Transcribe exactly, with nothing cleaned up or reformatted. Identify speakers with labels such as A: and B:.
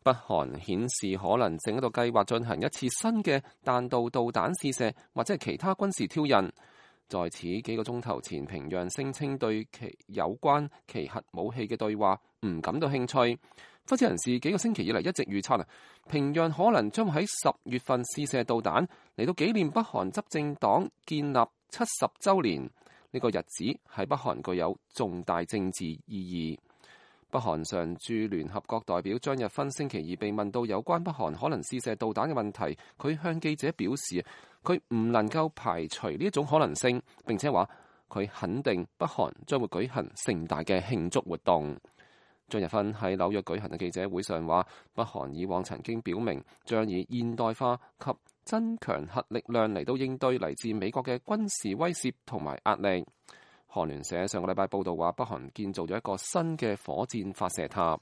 A: 北韓顯示可能正喺度計劃進行一次新嘅彈道導彈試射，或者係其他軍事挑釁。在此幾個鐘頭前，平壤聲稱對其有關其核武器嘅對話唔感到興趣。分析人士幾個星期以嚟一直預測啊，平壤可能將喺十月份試射導彈，嚟到紀念北韓執政黨建立七十週年。呢個日子喺北韓具有重大政治意義。北韓常駐聯合國代表張日勳星期二被問到有關北韓可能試射導彈嘅問題，佢向記者表示，佢唔能夠排除呢一種可能性，並且話佢肯定北韓將會舉行盛大嘅慶祝活動。張日勳喺紐約舉行嘅記者會上話，北韓以往曾經表明將以現代化及增強核力量嚟到應對嚟自美國嘅軍事威懾同埋壓力。韓聯社上個禮拜報道話，北韓建造咗一個新嘅火箭發射塔。